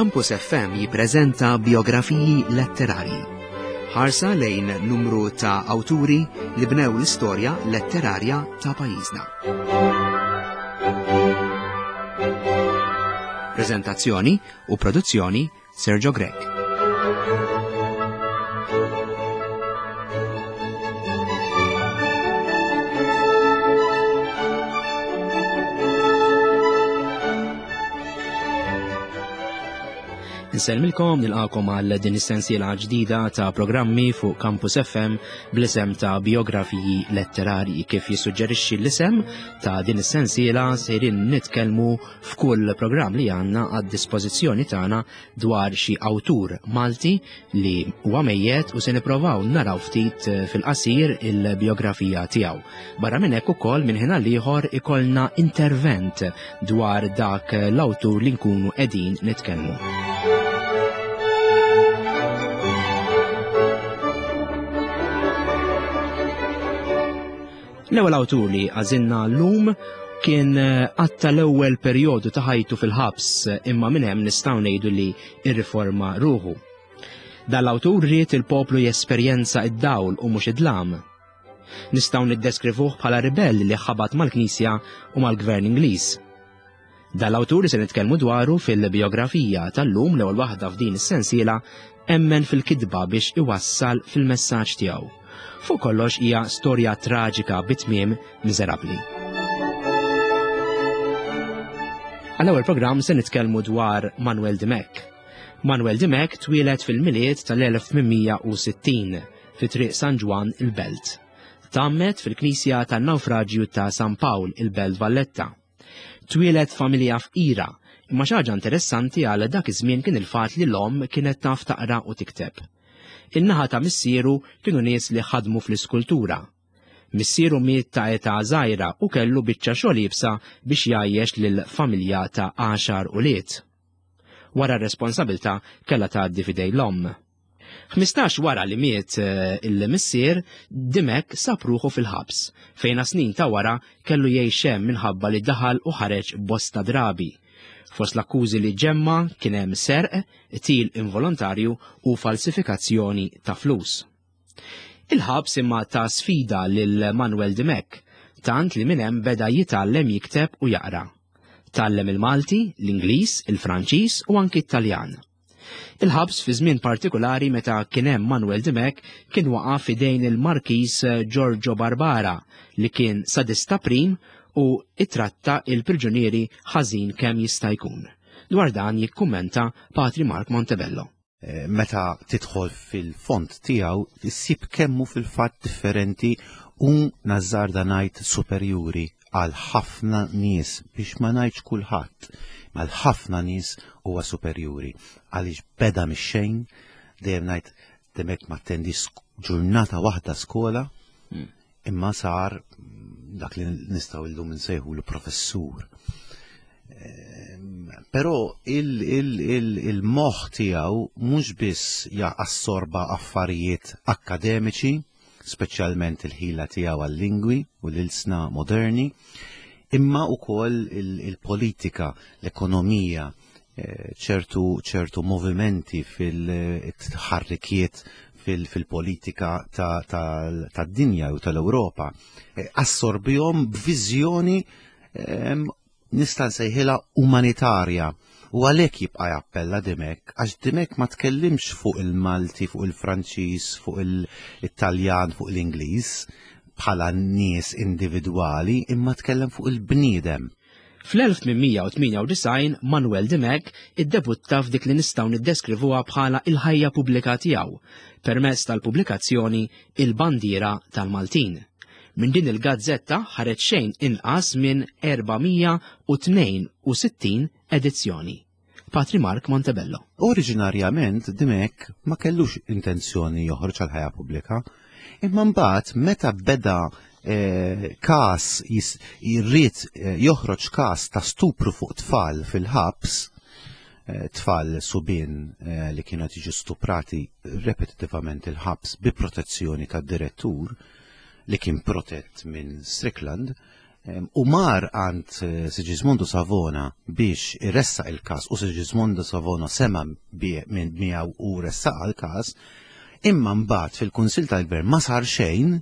Campus FM jippreżenta biografiji letterarji. Ħarsa lejn numru ta' awturi li bnew l-istorja letterarja ta' pajjiżna. Preżentazzjoni u produzzjoni Sergio Grech. Insellmilkom nilqakom għal din is-sensiela ġdida ta' programmi fuq Campus FM bl-isem ta' biografiji letterarji kif jissuġġerixxi l-isem ta' din is-sensiela sejrin nitkellmu f'kull programm li għandna għad-dispożizzjoni tagħna dwar xi awtur Malti li huwa mejjet u se nipprovaw naraw ftit eh, fil-qasir il-biografija tiegħu. Barra minn hekk ukoll minn ħin ieħor ikollna intervent dwar dak l-awtur li nkunu qegħdin nitkellmu. L-ewwel awtur li għażilna llum kien eh, għatta l-ewwel perjodu ta' ħajtu fil-ħabs imma minn hemm nistgħu ngħidu li rriforma ruħu. Dan l-awtur ried il-poplu jesperjenza id-dawl u mhux id-dlam. Nistgħu niddeskrivuh bħala ribell li ħabat mal-Knisja u mal-Gvern Ingliż. Dan l-awtur li se nitkellmu dwaru fil-bijografija tal-lum l-ewwel waħda f'din is-sensiela emmen fil-kitba biex iwassal fil-messaġġ tiegħu. Fuq kollox hija storja traġika bi tmiem miżerabbli. Għall-ewwel programm se nitkellmu dwar Manuel Dimech. Manuel Dimech twieled fil-Milied tal-1860 fi Triq San Ġwann il-Belt. Tgħammed fil-Knisja tan-Nawfraġju ta' San Pawl il-Belt Valletta. Twieled f'familja fqira, imma xi ħaġa interessanti għal dak iż-żmien kien il-fatt li l-omm kienet taf taqra u tikteb. In-naħa ta' missieru kienu nies li ħadmu fl-iskultura. Missieru miet ta' età żgħira u kellu biċċa xogħol iebsa biex jgħajjex lil familja ta' għaxar ulied. Wara r-responsabilità kellha tgħaddi f'idej l-omm. 15 wara li miet eh, il-missier, Dimech sab ruħu fil-ħabs, fejn snin ta' wara kellu jgħix hemm minħabba li daħal u ħareġ bosta drabi. Fost l-akkużi li ġemma kien hemm serq, til involontarju u falsifikazzjoni ta' flus. Il-ħabs imma ta' sfida lil Manuel Dimech, tant li minn hemm beda jitgħallem jikteb u jaqra. Tgħallem il-Malti, l-Ingliż, il-Franċiż u anki t-Taljan. Il-ħabs fi żmien partikulari meta kien hemm Manuel Dimech kien waqa' f'idejn il-Markiż Giorgio Barbara li kien sadista prim u ittratta il-priġunieri ħażin kemm jista' jkun. Dwar dan jikkummenta Patri Mark Montebello. Eh, meta tidħol fil-font tiegħu issib kemmu fil-fatt differenti u nażżarda ngħid superjuri għal ħafna nies biex ma ngħidx kulħadd, ma għal ħafna nies huwa superjuri għaliex beda mix-xejn, dejjem ngħid demek ma attendi ġurnata waħda skola, hmm. imma sar dak li nistgħu llum insejħu l-professur. Ehm, però il-moħħ tiegħu mhux biss assorba affarijiet akkademiċi, speċjalment il-ħila tiegħu għal-lingwi u l-ilsna moderni, imma wkoll il-politika, l-ekonomija, eh, ċertu ċertu movimenti fil-tħarrikiet fil-politika tad-dinja u tal-Ewropa. Eh, assorbihom b'viżjoni ehm, nista' nsejħilha umanitarja u għalhekk jibqa' jappella Dimech għax Dimech ma tkellimx fuq il-Malti, fuq il-Franċiż, fuq il-Taljan, fuq l-Ingliż bħala nies individwali imma tkellem fuq il-bniedem. Fl-1898 Manuel Dimech iddebutta f'dik li nistgħu niddeskrivuha bħala il-ħajja pubblika tiegħu permezz tal-pubblikazzjoni Il-Bandiera tal-Maltin. Minn din il-gazzetta ħareġ xejn inqas minn 462 edizzjoni. Patri Mark Montebello. Oriġinarjament Dimech ma kellux intenzjoni joħroġ għal ħajja pubblika, imma mbagħad meta beda eh, każ jirrid eh, joħroġ każ ta' stupru fuq tfal fil-ħabs, eh, tfal subien li kienu qed jiġu stuprati repetitivament il-ħabs bi protezzjoni tad-direttur li kien protett minn Strickland, U mar għand eh, Sigismondo Savona biex iressaq il-każ u Sigismondo Savona sema minn miegħu u ressaq għal-każ, imma mbagħad fil-Kunsill tal-Gvern ma sar xejn,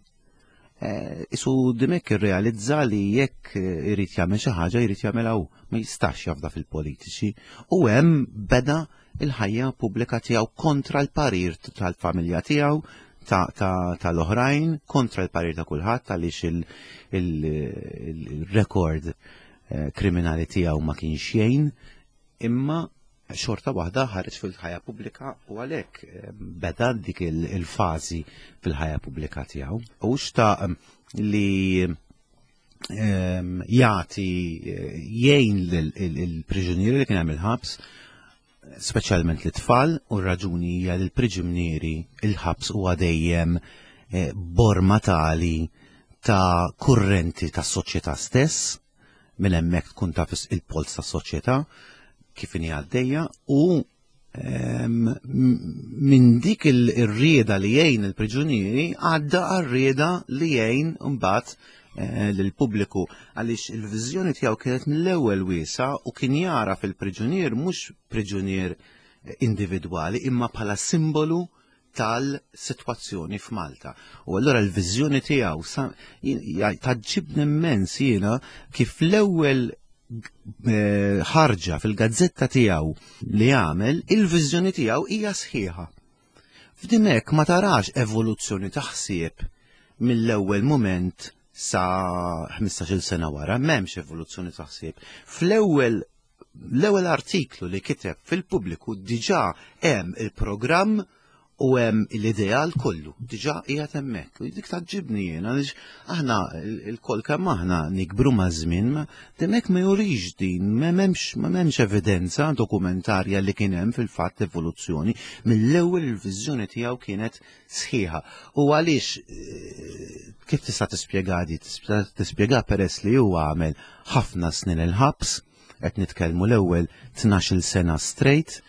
eh, isu Dimek irrealizza li jekk eh, irid jagħmel xi ħaġa jrid jagħmilha hu, ma jistax jafda fil-politiċi. U hemm beda il-ħajja pubblika tiegħu kontra l-parir tal-familja tiegħu, tal-oħrajn, kontra l-parir ta' kulħadd għaliex il-rekord eh, kriminali tiegħu ma kienx xejn, imma xorta waħda ħareġ fil-ħajja pubblika u għalhekk eh, beda dik il-fażi fil-ħajja pubblika tiegħu. U xtaq li ehm, jagħti eh, jgħin l-priġunieri li kien hemm il-ħabs, speċjalment l-tfal, u r-raġuni hija li l-priġunieri il-ħabs huwa dejjem eh, borma tali ta' kurrenti tas soċjetà stess, minn hemmhekk tkun taf il-polz tas soċjetà kif inhi għaddejja u minn dik il-rieda li jgħin il-priġunieri għadda għar-rieda li jgħin mbagħad eh, lill-pubbliku għaliex il-viżjoni tiegħu kienet mill-ewwel wiesa u kien jara fil-priġunier mhux priġunier individwali imma bħala simbolu tal-sitwazzjoni f'Malta. U allura l-viżjoni tiegħu taġġibni immens jiena kif l-ewwel eh, ħarġa fil-gazzetta tiegħu li għamel, il-viżjoni tiegħu hija sħiħa. F'dimek ma tarax evoluzzjoni ta' ħsieb mill-ewwel mument sa 15-il sena wara, m'hemmx evoluzzjoni ta' ħsieb. Fl-ewwel l-ewwel artiklu li kiteb fil-pubbliku diġà hemm il-programm u hemm l-ideal kollu, diġà qiegħed hemmhekk. U dik taġġibni jien għaliex aħna l-koll kemm aħna nikbru maż-żmien, hemmhekk ma jurix din, m'hemmx ma m'hemmx evidenza dokumentarja li kien hemm fil-fatt evoluzzjoni. Mill-ewwel il-viżjoni tiegħu kienet sħiħa. U għaliex eh, kif tista' tispjega di? Tispjega peress li huwa għamel ħafna snin il-ħabs, qed nitkellmu l-ewwel 12-il sena straight,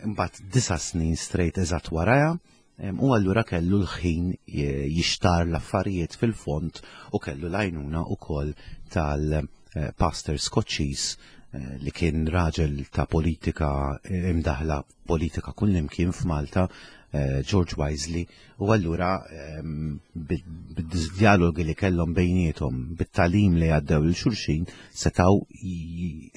imbagħad disa' snin straight eżatt warajha, u allura kellu l-ħin jixtar l-affarijiet fil-fond u kellu l-għajnuna wkoll tal-pastor Skoċċiż eh, li kien raġel ta' politika eh, imdaħla politika kullimkien f'Malta, eh, George Wisely, U allura ehm, bid-dialogi li kellhom bejniethom, bit-talim li għaddew lil xulxin, setaw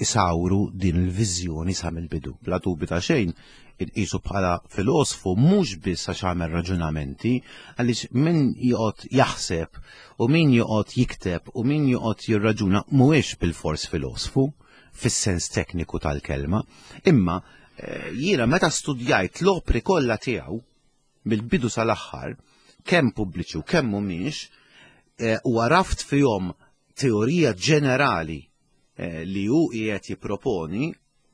isawru din il-viżjoni sa mill-bidu. Bla dubju ta' xejn, inqisu bħala filosfu mhux biss għax għamel raġunamenti, għaliex min joqgħod jaħseb u min joqgħod jikteb u min joqgħod jirraġuna mhuwiex bil-fors filosfu fis-sens tekniku tal-kelma, imma eh, jiena meta studjajt l-opri kollha tiegħu mill-bidu sal-aħħar, kemm pubbliċi u kemm mhumiex, eh, u għaraft fihom teorija ġenerali eh, li hu qiegħed jipproponi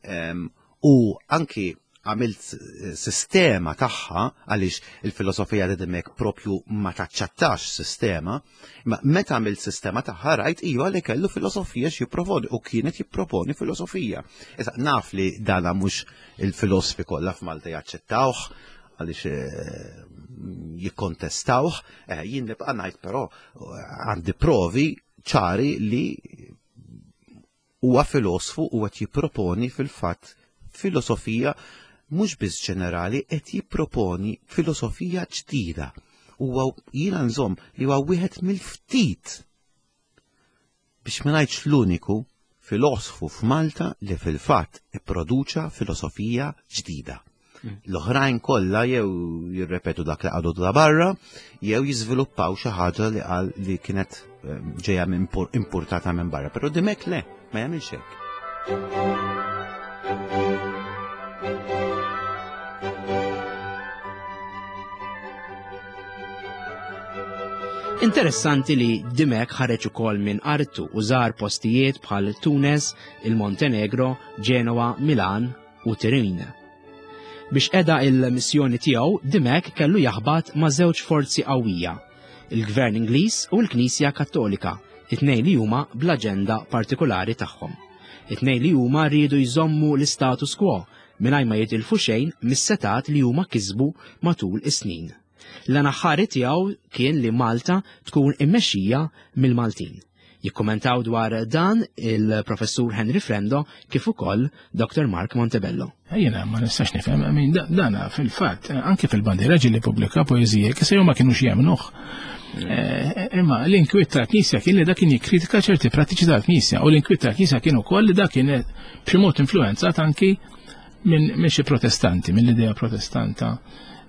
ehm, u anki għamilt eh, sistema tagħha għaliex il-filosofija ta' Dimek propju ma taċċattax sistema, ma meta għamilt sistema tagħha rajt iva li kellu filosofija x'jipproponi u kienet jipproponi filosofija. Issa naf li dana mhux il-filosfi kollha f'Malta jaċċettawh għaliex eh, jikkontestawh, eh, jien nibqa' ngħid però eh, għandi provi ċari li huwa filosfu u qed jipproponi fil-fatt filosofija mhux biss ġenerali qed jipproponi filosofija ġdida. Huwa jiena nżomm li huwa wieħed mill-ftit biex ma ngħidx l-uniku filosfu f'Malta li fil-fatt ipproduċa filosofija ġdida. Mm. L-oħrajn kollha jew jirrepetu dak li għadu da barra, jew jiżviluppaw xi ħaġa li qal li kienet eh, ġejja importata minn barra. Però dimek le, ma jagħmilx hekk. Interessanti li Dimech ħareġ ukoll minn artu u żar postijiet bħal Tunes, il-Montenegro, Genoa, Milan u Turin. Biex qeda il-missjoni tiegħu, Dimech kellu jaħbat ma' żewġ forzi qawwija, il-Gvern Ingliż u l-Knisja Kattolika, it-tnejn li huma bl-aġenda partikolari tagħhom. It-tnejn li huma riedu jżommu l-istatus quo mingħajr ma jitilfu xejn mis-setgħat li huma kisbu matul is-snin. L-għan aħħari tiegħu kien li Malta tkun immexxija mill-Maltin. Jikkumentaw dwar dan il-Professur Henry Frendo kif ukoll Dr. Mark Montebello. Jiena ma nistax nifhem, dana fil-fatt, anke fil-bandiera ġieli pubblika poeżija kif se ma kienux jemnuh. Eh, imma l-inkwiet tal-Knisja kien li dak kien jikkritika ċerti prattiċi tal-Knisja u l-inkwiet tal-Knisja kien ukoll li dak kien b'xi mod influenzat anki minn xi protestanti, mill-idea protestanta.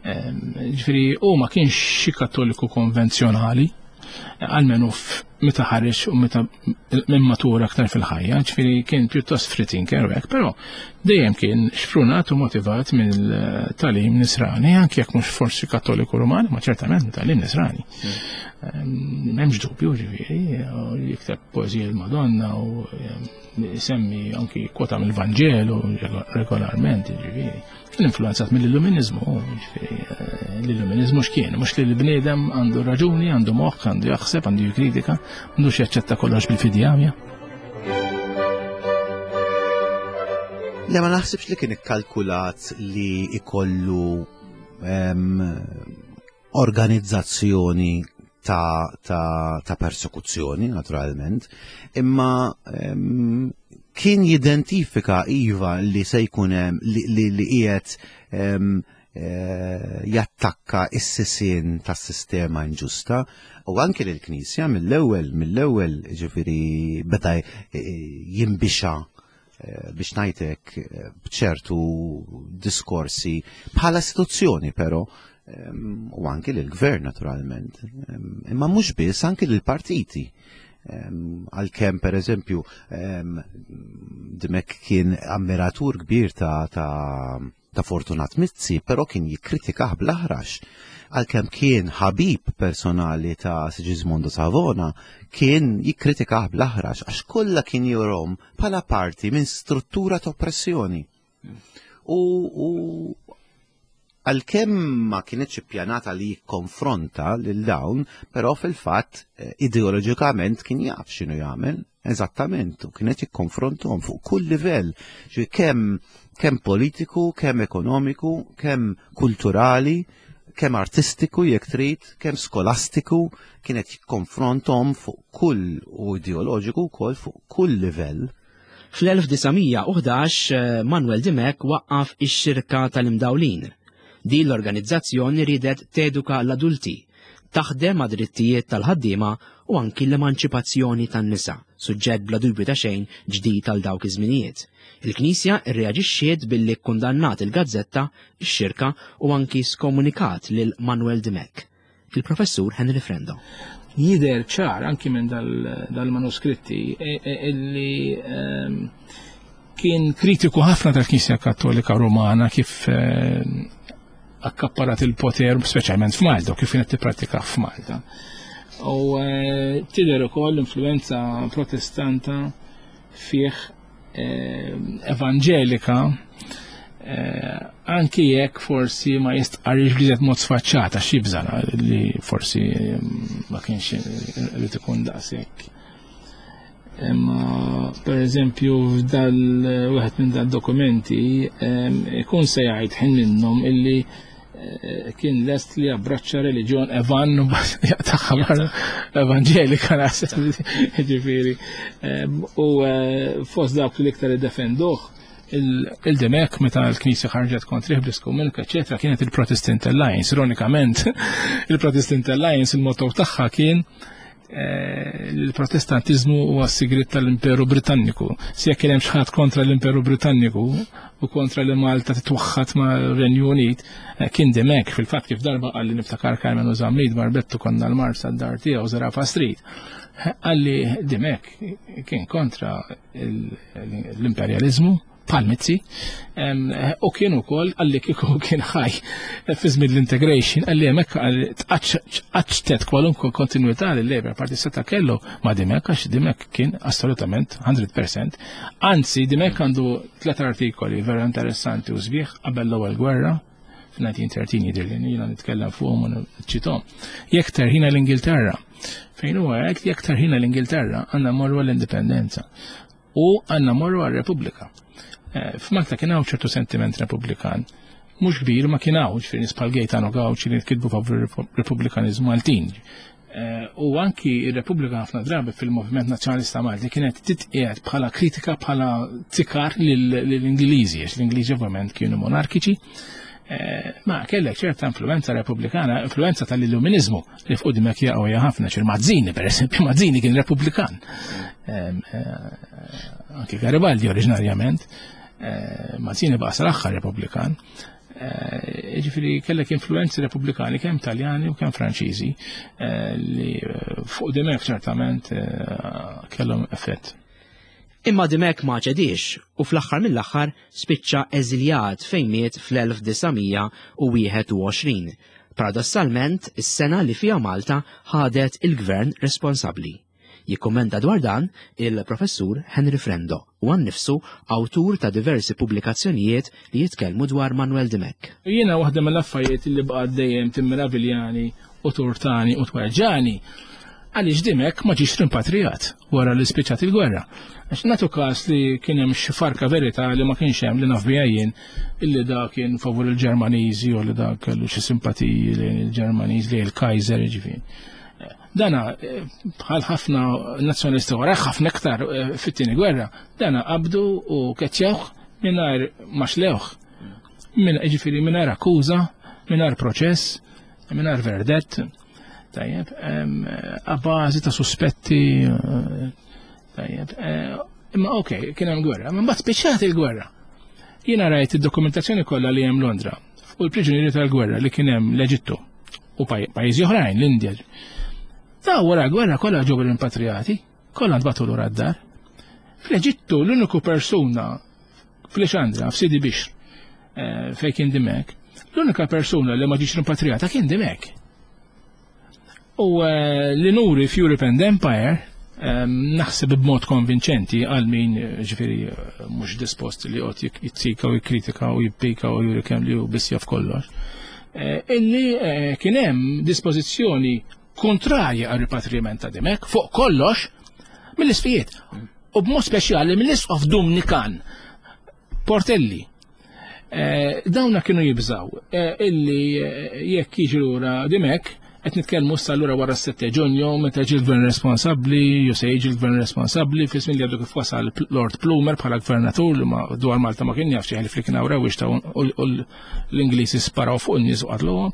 Ehm, ġifieri u ma kienx xi kattoliku konvenzjonali, għalmenu meta ħareġ u meta minn matura aktar fil-ħajja, ġifieri kien pjuttost free thinker hekk, però dejjem kien xprunat u motivat mill-talim nisrani, anke jekk mhux forsi kattoliku Ruman, ma ċertament mit-talim nisrani. Hmm. Ehm, m'hemmx dubju ġifieri, jikteb poeżija l-Madonna u ehm, semmi anki kwota mill-Vanġelu regolarment, ġifieri. Kien influenzat mill-Illuminizmu, ġifieri eh, l-Illuminizmu x'kien, mhux li l-bniedem għandu raġuni, għandu moħħ, għandu jaħseb, għandu jikkritika, m'għandux jaċċetta kollox bil-fidjamja. Le ma naħsibx li kien ikkalkulat li ikollu organizzazzjoni ta', ta, ta persekuzzjoni, naturalment, imma um, kien jidentifika iva li se jkun hemm li, li, li qiegħed um, jattakka is-sisien tas-sistema inġusta u anke lill-Knisja mill-ewwel mill-ewwel ġifieri beda eh, jinbixa eh, biex ngħidlek eh, b'ċertu diskorsi bħala istituzzjoni però ehm, u anke lill-gvern naturalment. Ehm, imma mhux biss anke lill-partiti. Ehm, għalkemm per eżempju Dimek kien ammiratur kbir ta', ta ta' Fortunat Mizzi, però kien jikkritikah bl-aħrax. Għalkemm kien ħabib personali ta' Sigismondo Savona, kien jikkritikah bl-aħrax għax kollha kien jurom bħala parti minn struttura ta' oppressjoni. U, u għalkemm ma kienx ippjanata li jikkonfronta lil dawn, però fil-fatt eh, ideoloġikament kien jaf x'inhu jagħmel Eżattament, u kienet jikkonfrontuhom fuq kull livell, ġi kemm kemm politiku, kemm ekonomiku, kemm kulturali, kemm artistiku jekk trid, kemm skolastiku, kienet jikkonfronthom fuq kull u ideoloġiku wkoll fuq kull livell. Fl-1911 eh, Manuel Dimech waqqaf ix-Xirka tal-Imdawlin. Din l-organizzazzjoni riedet teduka l-adulti taħdem għad-drittijiet tal-ħaddiema u anki l-emanċipazzjoni tan-nisa, suġġett bla dubju ta' xejn ġdid għal dawk iż-żminijiet. Il-Knisja rreaġixxiet billi kkundannat il-gazzetta, ix-xirka u anki skomunikat lil Manuel Dimech. Il-Professur Henry Frendo. Jidher ċar anki minn dal-manuskritti e, e, illi ehm, kien kritiku ħafna tal-Knisja Kattolika Rumana kif ehm, akkapparat il-poter, speċjalment f'Malta, u kif kienet tipprattika f'Malta. U eh, tidher ukoll l-influenza protestanta fih eh, evanġelika eh, anki jekk forsi ma jistqarrix b'liżet mod sfaċċata xi li forsi ma kienx irid ikun daqshekk Imma per eżempju f'dal wieħed minn dal-dokumenti ikun se jgħid ħin minnhom illi eh, kien lest li jabbraċċa reliġjon evan u jaqtaħħa barra evanġelika naħseb ġifieri. U eh, fost dawk li iktar iddefenduh il-Demek meta l-Knisja ħarġet kontrih bl-iskomunika, eċetera, kienet il-Protestant Alliance. Ironikament, il-Protestant Alliance il-motto tagħha kien Eh, l-protestantiżmu huwa s-sigriet tal-Imperu Britanniku. Si jekk kien hemm xi ħadd kontra l-Imperu Britanniku u kontra li Malta titwaħħad ma' Renju Unit, eh, kien dimek fil-fatt kif darba qalli niftakar Carmen u Zammit barbettu konna l-Marsa d-dar tiegħu Zarafa Street. Qalli dimek kien kontra l-imperjaliżmu bħal Mizzi, u kien ukoll għalli kieku kien ħaj fi żmien l-integration, għalli hemmhekk tqaċċtet kwalunkwe kontinuità li l-Labour Party seta' kellu ma' Dimek għax Dimek kien assolutament 100%. Anzi, Dimek għandu tlet artikoli vera interessanti u sbieħ qabel l-ewwel gwerra, f-1913 jidher li jiena nitkellem fuqhom u nċitom. Jekk terħina l-Ingilterra, fejn huwa hekk jekk terħina l-Ingilterra għandna morru l-indipendenza u għandna morru għar-Repubblika. Eh, F'Malta kien hawn ċertu sentiment Repubblikan. Mhux kbir ma kien hawn, ġifieri nies bħal Gaetano Gauci li kitbu favur Repubblikanizmu Maltin. Eh, u anki ir-Repubblika ħafna drabi fil-Moviment Nazzjonalista Malti kienet titqiegħed bħala kritika bħala tikar lill-Ingliżi, għax l-Ingliżi ovvjament kienu monarkiċi. Eh, ma kellek ċerta influenza repubblikana, influenza tal-illuminizmu li fuq dimek jaqgħu ħafna ċir Mazzini, per eżempju, Mazzini kien repubblikan. Eh, anki Garibaldi oriġinarjament, Mazzini baqa' sal-aħħar repubblikan. Eh, ġifiri kellek influenzi repubblikani kemm Taljani u kemm Franċiżi eh, li eh, fuq Dimek ċertament kellhom effett. Imma Dimek ma ċedix u fl-aħħar mill-aħħar spiċċa eżiljat fejn miet fl-1921. Paradossalment, is-sena li fiha Malta ħadet il-gvern responsabbli. Jikkummenta dwar dan il-Professur Henry Frendo, huwa nnifsu awtur ta' diversi pubblikazzjonijiet li jitkellmu dwar Manuel Dimech. Jiena waħda mill-affarijiet li baqgħet dejjem timmeraviljani u turtani u tweġġani għaliex Dimech ma ġiex rimpatrijat wara li spiċċat il-gwerra. Għax nagħtu każ li kien hemm xi farka verità li ma kienx hemm li naf biha jien illi da kien favur il-Ġermaniżi u li da kellu xi simpatiji lejn il-Ġermaniż lejn il-Kaiser jiġifieri. Dana bħal ħafna nazzjonalisti wara ħafna iktar eh, fit-tieni gwerra, dana qabdu u keċċewh mingħajr ma xlewh. Min ġifieri mingħajr akkuża, mingħajr proċess, mingħajr verdett. Tajjeb, a bażi ta' suspetti eh, tajjeb. Eh, imma ok, kien hemm gwerra, imma mbagħad spiċċat il-gwerra. Jiena rajt id-dokumentazzjoni kollha li hemm Londra u l-priġunieri tal-gwerra li kien hemm l-Eġittu u pajjiżi oħrajn, l-Indja. Ta' wara l-gwerra kollha ġew rimpatriati, kollha ntbagħtu lura d-dar. Fl-Eġittu l-uniku persuna fl-Ixandra, f'Sidi Bixr, eh, fejn kien Dimek, l-unika persuna li ma ġietx rimpatriata kien Dimek. U eh, li nuri f'Europe and Empire, eh, naħseb b'mod konvinċenti għal min ġifieri mhux dispost li joqgħod jitzika u jikkritika u jippika u juri kemm li hu biss jaf kollox. Illi kien hemm dispożizzjoni kontrarja għal ripatriment ta' Dimek fuq kollox mill-isfijiet. U b'mod speċjali mill-isqof Dumnikan Portelli. Eh, dawna kienu jibżaw eh, illi eh, jekk jiġi lura Dimek, qed nitkellmu issa lura wara s-7 Ġunju meta ġi l-gvern responsabbli, jew se jiġi l-gvern responsabbli fi żmien li għadu kif wasal Lord Plumer bħala gvernatur li ma dwar Malta ma kien jaf xi ħalif li kien hawn rewwixta u l-Ingliżi sparaw fuq in-nies u qatluhom.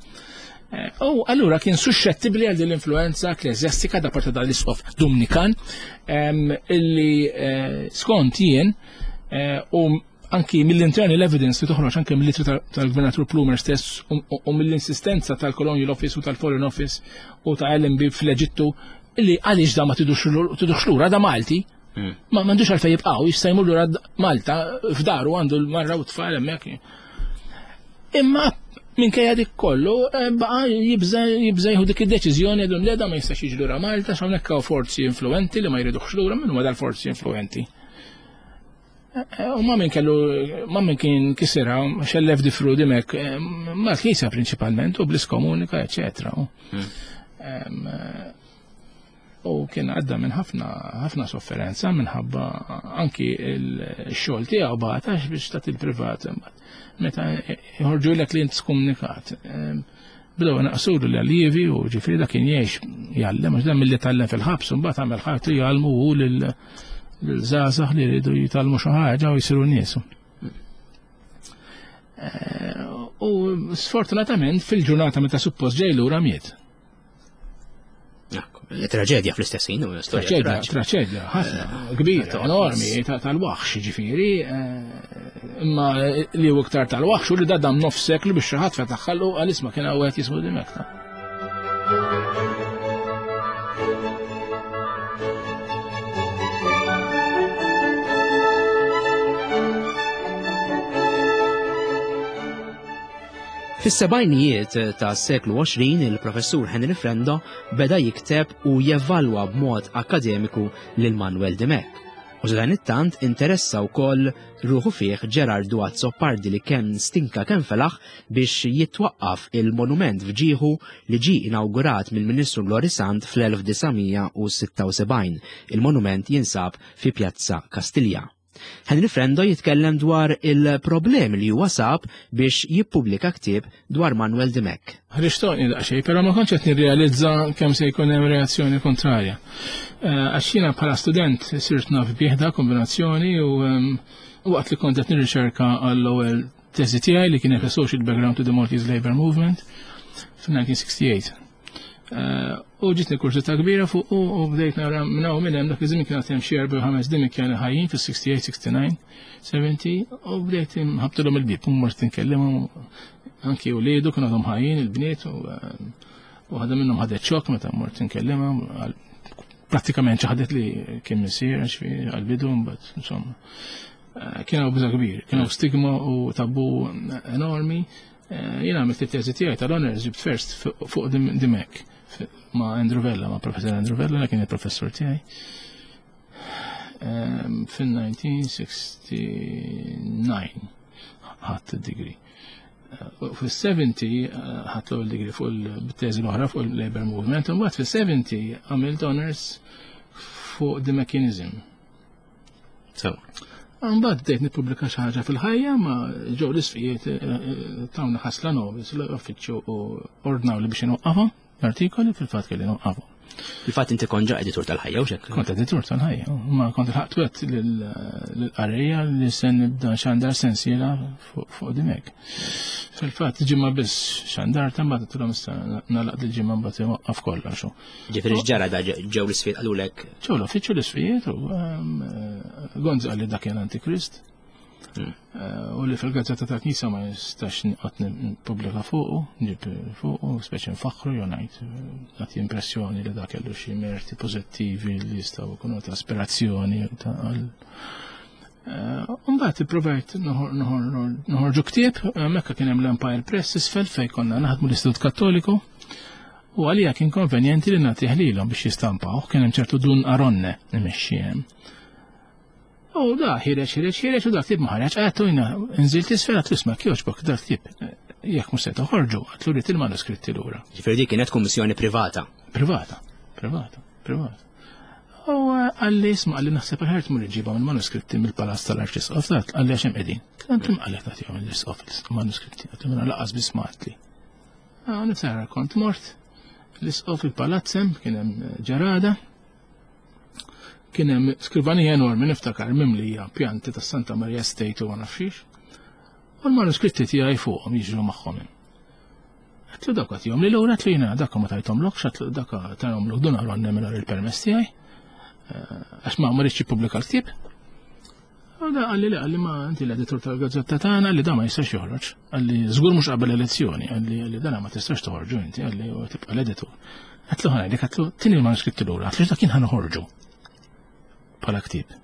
U allura kien suscettibbli għal din l-influenza ekkleżjastika da parti dal-isqof Dumnikan illi skont jien eh, u anki mill-internal evidence li toħroġ anke mill-litri tal-Gvernatur Plumer stess u mill-insistenza tal-Colonial Office u tal-Foreign Office u ta' LMB fl-Eġittu li għaliex da ma tidux lura da Malti. Hmm. Ma m'għandux għalfejn jibqgħu jista' jmur lura Malta f'daru għandu l-marra u tfal hemmhekk. Imma minkejja dik kollu eh, baqa' jibża jibża jieħu dik id-deċiżjoni għedhom le da ma jistax jiġi lura Malta x'hawnhekk hawn forzi influenti li ma jridux lura minn huma dal-forzi influenti. Eh, u ma minn kellu, ma minn kien kisira, xellef difru dimek, eh, ma l-knisja prinċipalment, u bl-iskomunika, eccetera. Hmm. Eh, u kien għadda minn ħafna ħafna sofferenza minħabba anki il-xogħol tiegħu bagħtax biex tagħti il-privat meta jħorġu lek li int skomunikat. Bdew naqsulu l-allievi u ġifieri dak kien jgħix jgħallem għax dan milli tgħallem fil-ħabs u mbagħad għamel ħajtu jgħallmu hu lil żgħażagħ li jridu jitgħallmu xi ħaġa u jsiru nies. Eh, u sfortunatament fil-ġurnata meta suppost ġej lura miet. Traġedja fl-istess ħin, traġedja, traġedja, ħafna, eh, kbira, enormi, tal-waħx, ġifieri, eh, imma li hu iktar tal-waħx u li dadam nofs seklu biex xi ħadd fetaħħalu għal isma' kien hawn qed jismu dimekta. Fis-sebgħinijiet tas-seklu 20 il-Professur Henry Frendo beda jikteb u jevalwa b'mod akkademiku lil Manuel Dimech. U dan it-tant interessa wkoll ruħu fih Ġerardu Azzopardi li kemm stinka kemm felaħ biex jitwaqqaf il-monument f'ġieħu li ġie inawgurat mill-Ministru Lorisant fl-1976. Il-monument jinsab fi Pjazza Kastilja. Henry Frendo jitkellem dwar il-problemi li huwa sab biex jippubblika ktieb dwar Manuel Dimech. Ħriġtoni daqsxejn, però ma kontx qed nirrealizza kemm se jkun hemm reazzjoni kontrarja. Eh, għax jiena bħala student sirt naf bieħda kombinazzjoni u ehm, waqt li kont qed nirriċerka għall-ewwel teżi tiegħi li kienet Social Background to the Maltese Labour Movement fil-1968. Eh, u ġitni kurżità kbira fuq u bdejt nara minn hawn minn hemm dak iż-żmien kien hemm xi erba' ħames dimikjani ħajjin fis-68, 69, 70 u bdejt ħabtilhom il-bieb u mort inkellimhom anki u liedu kienu għadhom ħajjin il-bniet u eh, waħda minnhom ħadet xokk meta mort inkellimha prattikament ċaħdet li kien missier għal-bidu mbagħad insomma. Eh, kien hawn biża' kbir, kien hawn stigma u tabu enormi. Eh, jiena għamilt it-teżi tiegħi tal-honors ġibt first fuq Dimek ma' Andrew Vella, ma' professor Andrew Vella, kien il-professor tiegħi. Ehm, Fin-1969 ħadd id-degree. Eh, fis-70 eh, ħadd l-ewwel degree fuq il-teżi l-oħra fuq il-Labor Movement, u mbagħad fis-70 għamilt honors fuq the mechanism. Sewa. Mbagħad bdejt nippubblika xi ħaġa fil-ħajja ma ġew l-isfijiet eh, eh, tawna ħasla nobis l-uffiċċju u ordnaw li biex inwaqqafhom l-artikoli fil-fatt kelli nwaqqafhom. Fil-fatt inti kont ġa editur tal-ħajja u xek? Kont editur tal-ħajja, ma kont il-ħaqt wet lill-qarrejja li se nibda xandar sensiela fuq dimek. Fil-fatt ġimgħa biss xandar ta' mbagħad tilhom issa nagħlaq dil-ġimgħa mbagħad iwaqqaf kollox. Ġifieri x'ġara da ġew l-isfijiet qalulek? Ġew l-uffiċċju l-isfijiet u ehm, eh, Gonzi qalli dak kien antikrist. Hmm. Eh, u li fil-gazzetta ta' Knisja ma jistax nqgħod nippubblika fuqu, nġib fuqu, speċi nfaħħru jew ngħid eh, nagħti impressjoni li dak kellu xi merti pożittivi li jistgħu jkunu ta' aspirazzjoni ta' għal Mbagħad ipprovajt noħorġu ktieb, mekka kien hemm l-Empire Press isfel fejn konna naħdmu l-Istitut Kattoliku. U għalija kien konvenjenti li nagħtih lilhom biex jistampaw, kien hemm ċertu Dun Aronne imexxi hemm. U da ħireġ, ħireġ, ħireġ u da ktib ma ħareġ, għattu jina nżilt isfel għattu isma' kjoġbok da ktib jekk mhux se toħorġu, għatlu rrid il-manuskritti lura. Ġifieri dik kienet kummissjoni privata. Privata, privata, privata. U eh, għalli isma' għalli naħseb aħjar tmur iġibhom il-manuskritti mill-palazz tal-Arċisqof, għalli għax hemm qegħdin. Kien għalli tagħtihom l-Isqof il-manuskritti, għatlu minna laqas biss ma għatli. Ah, niftakar kont mort l-isqof il-palazz hemm kien hemm eh, ġarada. Kien hemm skrivanija enormi niftakar mimlija pjanti tas Santa Maria State u ma nafxiex. U l-manuskritti tiegħi fuqhom jiġru magħhom. Għatlu dak għatihom li l-ewwel għatlu jiena dak ma tajthomlokx, għatlu dak tajhomlok dun għaronna mingħajr il-permess tiegħi. Eh, għax ma ma rridx jippubblika l-ktieb. U da qalli li qalli ma inti l-editur tal-gazzetta tagħna li da ma jistax joħroġ. Qalli żgur mhux qabel elezzjoni, qalli qalli dana ma tistax toħorġu inti, qalli u tibqa' l-editur. Għatlu ħanajlek, għatlu tini l-manuskritti lura, għatlu dak kien ħanoħorġu bħala ktieb.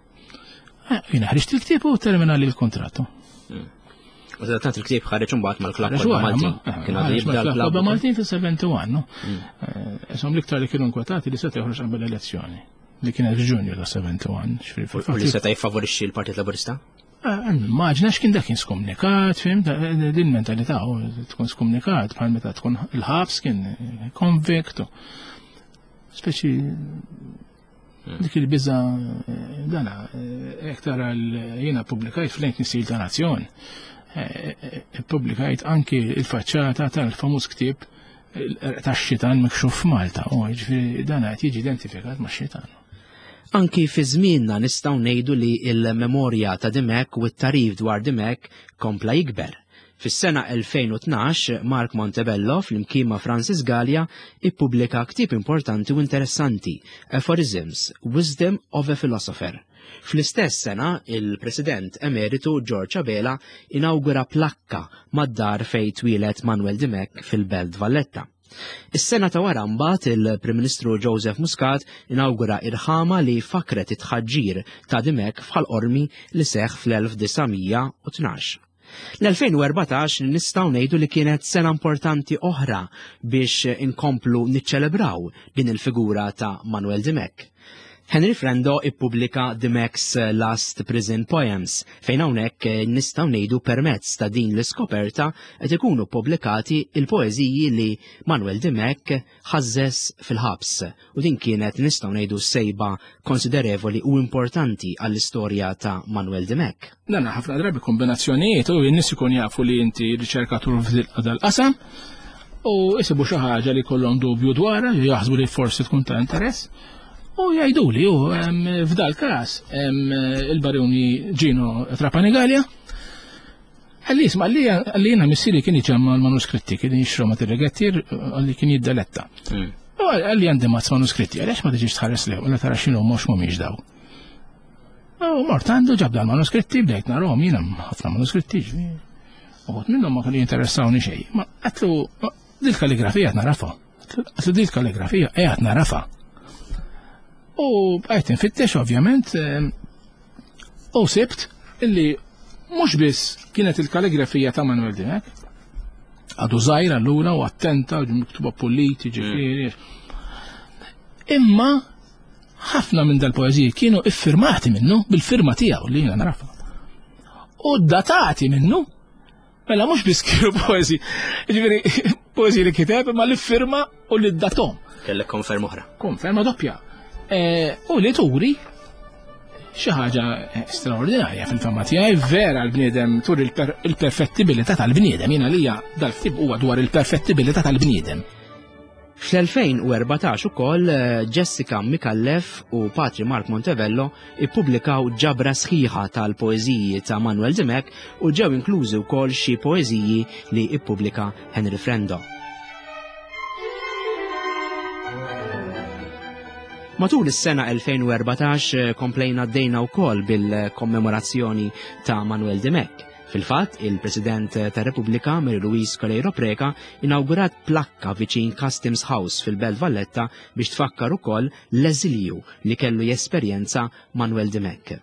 Eh, jiena ħriġt il-ktieb u terminali l-kontrattu. Hmm. U tant il-ktieb ħareġ imbagħad mal-klabb Maltin. Eh, kien għadu jibda l-klabb Maltin fis-71, no? Hmm. Eh, Isom l-iktar li kienu nkwetati li seta' joħroġ qabel elezzjoni. Li kienet f'Ġunju ta' 71, ġifieri fil-fatt. U li seta' jiffavorixxi l-Partit Laburista? Eh, immaġna x'kien dak kien skomnikat, fim, din mentalità tkun skomnikat bħal meta tkun il-ħabs kien konvikt. Speċi hmm. dik il-biża eh, dana, eh, jekk tara jiena publikajt fl-lejn Nisil ta' Nazzjon, publikajt anki il-faċċata tal-famuż ktieb tax-xitan mikxuf f'Malta, u ġifieri dan qed jiġi identifikat ma' xitan. Anki fi żmienna nistgħu ngħidu li l-memorja ta' Dimech u t-tagħrif dwar Dimech kompla jikber. Fis-sena 2012, Mark Montebello flimkien ma' Francis Galea ippubblika ktieb importanti u interessanti, Aphorisms, Wisdom of a Philosopher. Fl-istess sena, il-President Emeritu George Abela inawgura plakka mad-dar fejn twieled Manuel Dimech fil-Belt Valletta. Is-sena ta' wara mbagħad il-Prim Ministru Joseph Muscat inawgura irħama li fakret it-tħaġġir ta' Dimech f'Ħal Qormi li seħħ fl-1912. L-2014 nistgħu ngħidu li kienet sena importanti oħra biex inkomplu niċċelebraw din il-figura ta' Manuel Dimech. Henry Frendo ippubblika Dimech's Last Prison Poems, fejn hawnhekk nistgħu ngħidu permezz ta' din l-iskoperta qed ikunu ppubblikati il-poeżiji li Manuel Dimech ħażżeż fil-ħabs u din kienet nistgħu ngħidu sejba konsiderevoli u importanti għall-istorja ta' Manuel Dimech. Dan ħafna drabi kombinazzjonijiet u n-nies ikun jafu li inti riċerkatur f'dal-qasam u jsibu xi ħaġa li jkollhom dubju dwarha, jaħsbu li forsi tkun ta' interess. U jgħiduli, u f'dal każ il-baruni Gino Trapani Gallia, għalli jisma' għalli jiena missieri kien iġemma l-manuskritti, kien jixrom ma' tirregettir, għalli kien jiddaletta. Hmm. U għalli għandi mazz manuskritti, għaliex ma tiġix tħares li, u tara x'inhu mhux mhumiex daw. U mort għandu ġabda l-manuskritti, bdejt narahom jiena ħafna manuskritti, uħud minnhom ma kienu jinteressawni xejn. Ma għatlu dil-kalligrafija narafa. Għatlu dil kalligrafija qiegħed narafa. U bqajt infittex ovvjament eh, u sibt illi mhux biss kienet il-kalligrafija ta' Manuel Dimech, għadu żgħir allura u attenta u miktuba puliti ġifieri. Imma ħafna minn dal-poeżiji kienu iffirmati minnu bil-firma tiegħu li jiena narafa. U datati minnu Mela mhux biss kienu poeżi, ġifieri poeżi li kiteb imma li firma u li datom. Kellek konferma oħra. Konferma doppja. E, u li turi xi ħaġa straordinarja fil-fama tiegħi vera l-bniedem turi il-perfettibilità tal-bniedem jiena lija dal-ktib huwa dwar il-perfettibilità tal-bniedem. Fl-2014 ukoll eh, Jessica Micallef u Patri Mark Montevello ippubblikaw ġabra sħiħa tal-poeżiji ta' Manuel Dimech u ġew inklużi wkoll xi poeżiji li ippubblika Henry Frendo. Matul is-sena 2014 eh, komplejna għaddejna wkoll bil-kommemorazzjoni ta' Manuel Dimech. Fil-fatt, il-President tar-Repubblika Mary Louise Coleiro Preca inawgurat plakka viċin Customs House fil-Belt Valletta biex tfakkar ukoll l-eżilju li kellu jesperjenza Manuel Dimech.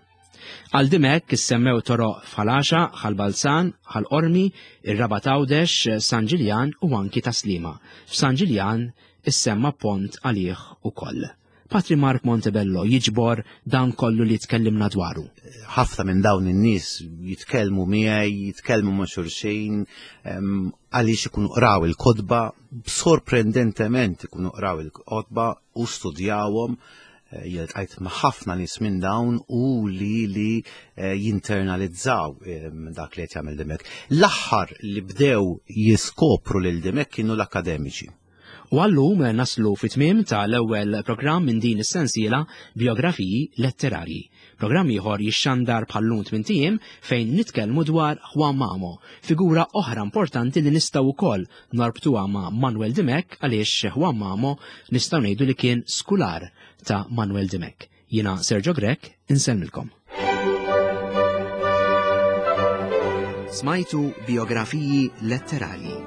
Għal Dimech issemmew toroq f'Ħal Għaxaq, Ħal Balzan, Ħal Qormi, ir-Rabat Għawdex, San Ġiljan u anki Tas-Sliema. F'San Ġiljan issemma pont għalih ukoll. Patri Mark Montebello jiġbor dan kollu li tkellimna dwaru. Ħafna minn dawn in-nies jitkellmu miegħi, jitkellmu ma' xulxin, għaliex ikunu qraw il-kotba, sorprendentement ikunu qraw il-kotba u studjawhom eh, jiltqajt ma' ħafna nies minn dawn u li li eh, jinternalizzaw dak li qed jagħmel Dimek. L-aħħar li bdew jiskopru lil Dimek kienu l-akademiċi. U għallum naslu fi tmiem ta' l-ewwel programm minn din is-sensiela Bijografiji Letterarji. Programm ieħor jixxandar bħal-lum tmint ijiem fejn nitkellmu dwar Juan Mamo, figura oħra importanti li nistgħu wkoll norbtuha ma' Manuel Dimech għaliex Juan Mamo nistgħu ngħidu li kien skular ta' Manuel Dimech. Jiena Sergio Grech, insellmilkom. Smajtu biografiji letterarji.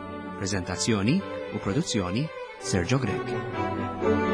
Prezentazzjoni u produzzjoni Sergio Grech.